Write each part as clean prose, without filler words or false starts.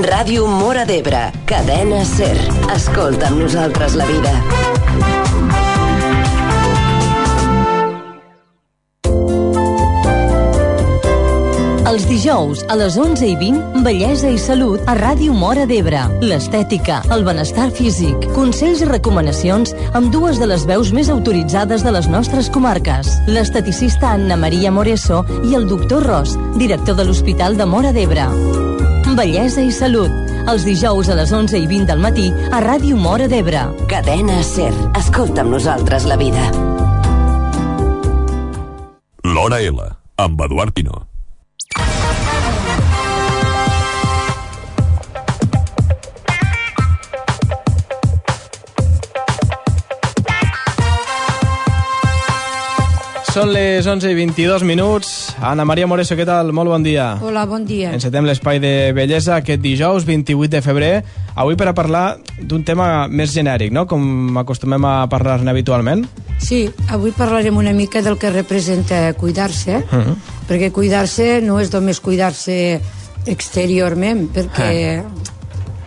Ràdio Móra d'Ebre, cadena SER. Escolta amb nosaltres la vida. Els dijous, a les 11:20, Bellesa i Salut a Ràdio Móra d'Ebre. L'estètica, el benestar físic, consells i recomanacions amb dues de les veus més autoritzades de les nostres comarques. L'esteticista Anna Maria Moreso i el doctor Ros, director de l'Hospital de Móra d'Ebre. Bellesa i Salut, els dijous a les 11:20 del matí a Ràdio Móra d'Ebre. Cadena SER. Escolta amb nosaltres la vida. L'Hora L, amb Eduard Pino. Són les 11:22. Anna Maria Moreso, què tal? Molt bon dia. Hola, bon dia. Encetem l'espai de bellesa aquest dijous, 28 de febrer. Avui per a parlar d'un tema més genèric, no? Com acostumem a parlar-ne habitualment. Sí, avui parlarem una mica del que representa cuidar-se, perquè cuidar-se no és només cuidar-se exteriorment, perquè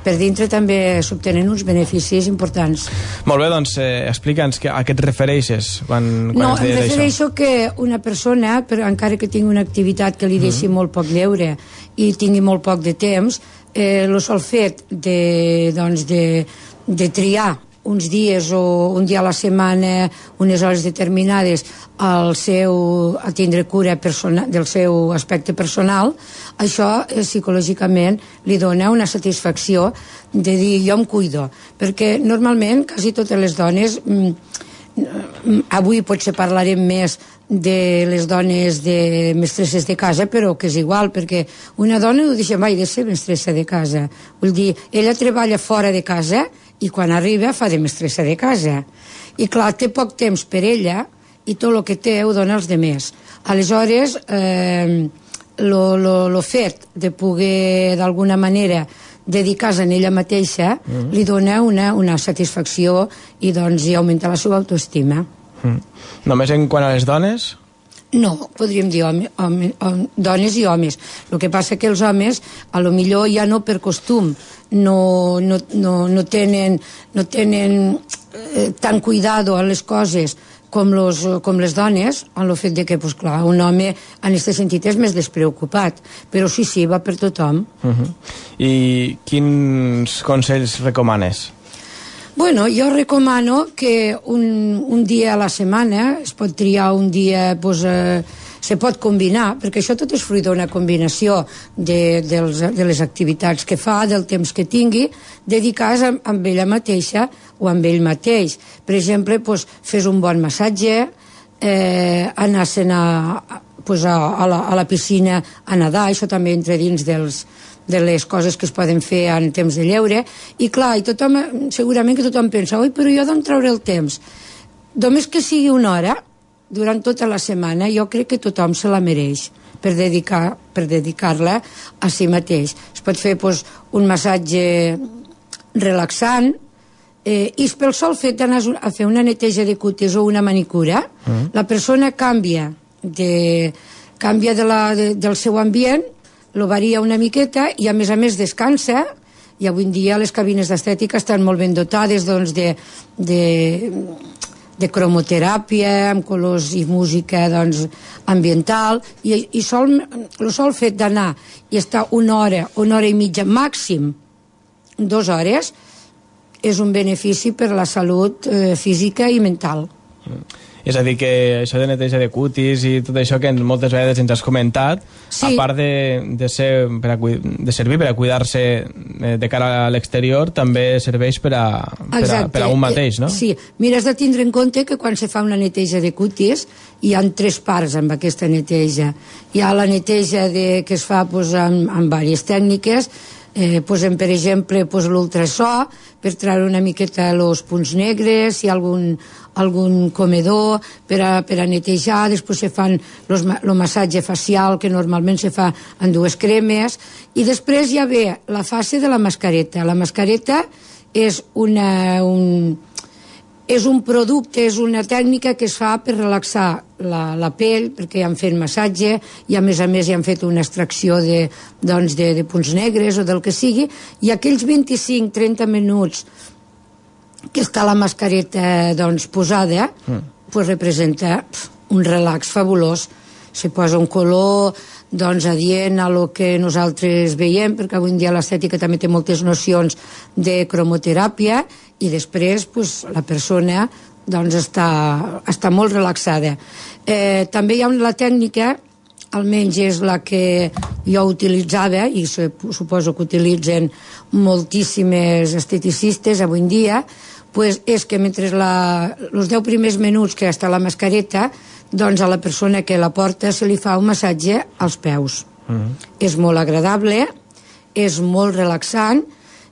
per dintre també s'obtenen uns beneficis importants. Molt bé, doncs explica'ns a què et refereixes quan No, ens em deies refereixo que una persona, encara que tingui una activitat que li deixi molt poc lleure i tingui molt poc de temps, el sol fet de triar uns dies o un dia a la setmana, unes hores determinades, a tindre cura del seu aspecte personal, això psicològicament li dona una satisfacció de dir jo em cuido, perquè normalment quasi totes les dones, avui potser parlarem més de les dones de mestresses de casa, però que és igual, perquè una dona no deixa mai de ser mestressa de casa, vull dir, ella treballa fora de casa i quan arriba fa de mestressa de casa i clar, té poc temps per ella i tot el que té ho dona als demés. Aleshores el fet de poder d'alguna manera dedicar-se a ella mateixa li dona una satisfacció i doncs hi augmenta la seva autoestima. Només en quant a les dones? No, podríem dir dones i homes. El que passa que els homes, a lo millor ja no per costum, no tenen tan cuidado a les coses com les dones, en el fet de que, clar, un home en aquest sentit és més despreocupat, però sí, va per tothom. I quins consells recomanes? Bueno, jo recomano que un dia a la setmana, es pot triar un dia, se pot combinar, perquè això tot és fruit d'una combinació de les activitats que fa, del temps que tingui, dedicar-se amb ella mateixa o amb ell mateix. Per exemple, fes un bon massatge, anar-se'n a la piscina a nedar, això també entra dins de les coses que es poden fer en temps de lleure, i clar, segurament que tothom pensa, oi, però jo d'on trauré el temps? Només que sigui una hora, durant tota la setmana, jo crec que tothom se la mereix per dedicar-la a si mateix. Es pot fer un massatge relaxant, i pel sol fet d'anar a fer una neteja de cutis o una manicura, la persona canvia del seu ambient, lo varia una miqueta i a més descansa, i avui en dia les cabines d'estètica estan molt ben dotades de cromoteràpia amb colors i música ambiental, i el sol fet d'anar i estar una hora i mitja màxim 2 hores és un benefici per a la salut física i mental. És a dir, que això de neteja de cutis i tot això que moltes vegades ens has comentat, a part de servir per a cuidar-se de cara a l'exterior, també serveix per a un mateix, no? Sí, mira, has de tindre en compte que quan se fa una neteja de cutis hi ha 3 parts amb aquesta neteja. Hi ha la neteja que es fa amb diverses tècniques, posem per exemple l'ultrasò per treure una miqueta els punts negres, si hi ha algun comedor per a netejar, després se fan el massatge facial que normalment se fa en 2 cremes, i després ja ve la fase de la mascareta. La mascareta és És un producte, és una tècnica que es fa per relaxar la pell, perquè han fet massatge i a més hi han fet una extracció de punts negres o del que sigui, i aquells 25-30 minuts que està la mascareta posada, representa un relax fabulós. Se posa un color adient a lo que nosaltres veiem, perquè avui en dia l'estètica també té moltes nocions de cromoteràpia, i després la persona està molt relaxada. També hi ha la tècnica, almenys és la que jo utilitzava, i suposo que utilitzen moltíssimes esteticistes avui en dia, és que mentre els 10 primers minuts que està la mascareta, a la persona que la porta se li fa un massatge als peus. És molt agradable, és molt relaxant,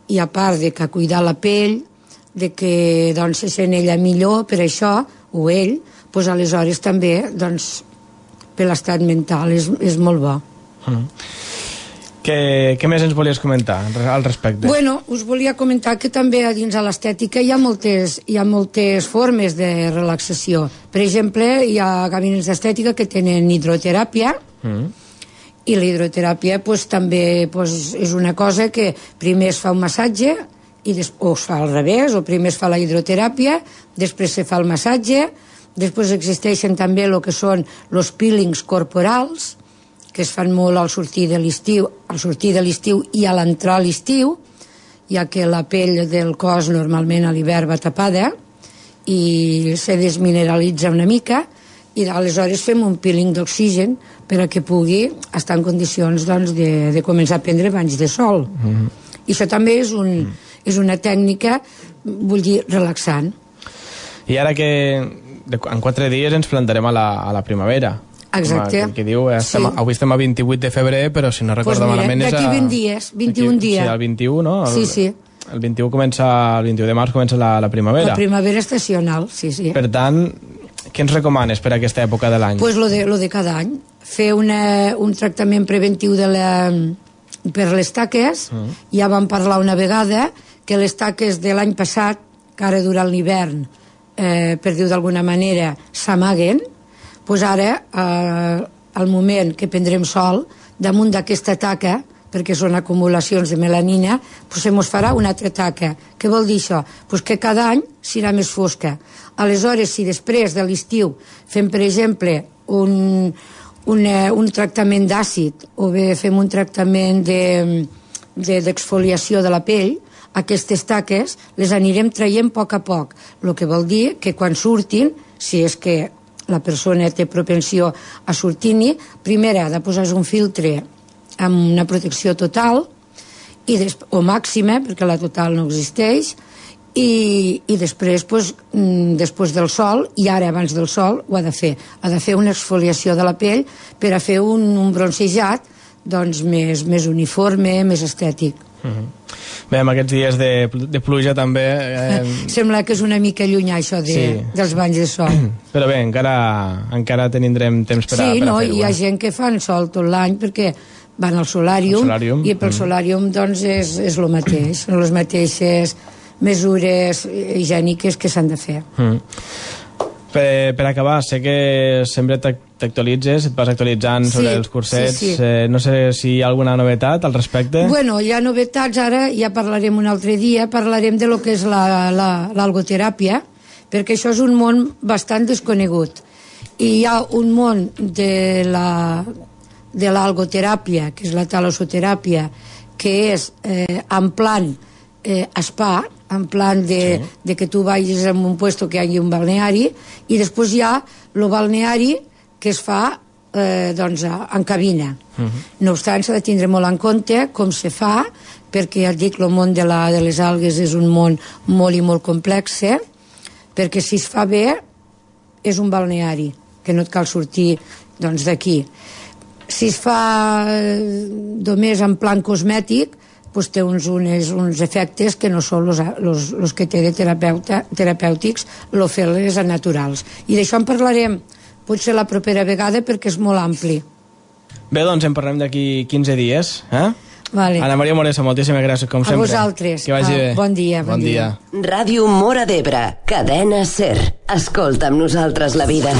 i a part de que cuidar la pell, de que se sent ella millor per això, o ell, aleshores també per l'estat mental és molt bo. Què més ens volies comentar al respecte? Bueno, us volia comentar que també a dins de l'estètica hi ha moltes formes de relaxació. Per exemple, hi ha gabinets d'estètica que tenen hidroteràpia, i la hidroteràpia també és una cosa que primer es fa un massatge, o es fa al revés, o primer es fa la hidroteràpia, després se fa el massatge, després existeixen també el que són els peelings corporals, que es fan molt al sortir de l'estiu i a l'entrar a l'estiu, ja que la pell del cos normalment a l'hivern va tapada i se desmineralitza una mica, i aleshores fem un peeling d'oxigen per a que pugui estar en condicions de començar a prendre banys de sol. I això també és una tècnica, vull dir, relaxant. I ara que en 4 dies ens plantarem a la primavera. Exacte. Que diu, avui estem a 28 de febrer, però si no recordo malament és d'aquí 20 dies, 21 dies. Sí, el 21, no? Sí. El 21 de març comença la primavera. La primavera estacional, sí. Per tant, què ens recomanes per a aquesta època de l'any? Pues lo de cada any. Fer un tractament preventiu per les taques. Ja vam parlar una vegada que les taques de l'any passat, que ara durant l'hivern, per dir-ho d'alguna manera, s'amaguen. Doncs ara, al moment que prendrem sol, damunt d'aquesta taca, perquè són acumulacions de melanina, se mos farà una altra taca. Què vol dir això? Que cada any serà més fosca. Aleshores, si després de l'estiu fem, per exemple, un tractament d'àcid, o bé fem un tractament d'exfoliació de la pell, aquestes taques les anirem traient a poc. El que vol dir que quan surtin, si és que la persona té propensió a sortir-hi, primer ha de posar un filtre amb una protecció total, o màxima, perquè la total no existeix, i després, després del sol, i ara abans del sol, ho ha de fer. Ha de fer una exfoliació de la pell per a fer un bronzejat més uniforme, més estètic. Bé, amb aquests dies de pluja també... Sembla que és una mica llunyà això dels banys de sol. Però bé, encara tindrem temps per a fer-ho. Sí, no, hi ha gent que fan sol tot l'any perquè van al solàrium, i pel solàrium és el mateix, són les mateixes mesures higièniques que s'han de fer. Per acabar, sé que sempre t'actualitzes, et vas actualitzant sobre els cursets. No sé si hi ha alguna novetat al respecte. Bueno, hi ha novetats, ara ja parlarem un altre dia, parlarem de lo que és l'algoteràpia, perquè això és un món bastant desconegut. I hi ha un món de l'algoteràpia, que és la talassoteràpia, que és en plan spa, en plan de que tu vagis en un puesto que hi hagi un balneari, i després hi ha el balneari que es fa en cabina. No obstant, s'ha de tindre molt en compte com se fa, perquè ja et dic, el món de les algues és un món molt i molt complex, perquè si es fa bé és un balneari, que no et cal sortir d'aquí. Si es fa només en plan cosmètic, té uns efectes que no són els que té de terapèutics, fer-les naturals. I d'això en parlarem potser la propera vegada perquè és molt ampli. Bé, doncs en parlem d'aquí 15 dies, Vale. Ana Maria Moresa, moltíssimes gràcies, com sempre. A vosaltres. Que vagi bé. Bon dia. Bon dia. Ràdio Móra d'Ebre, cadena SER. Escolta amb nosaltres la vida.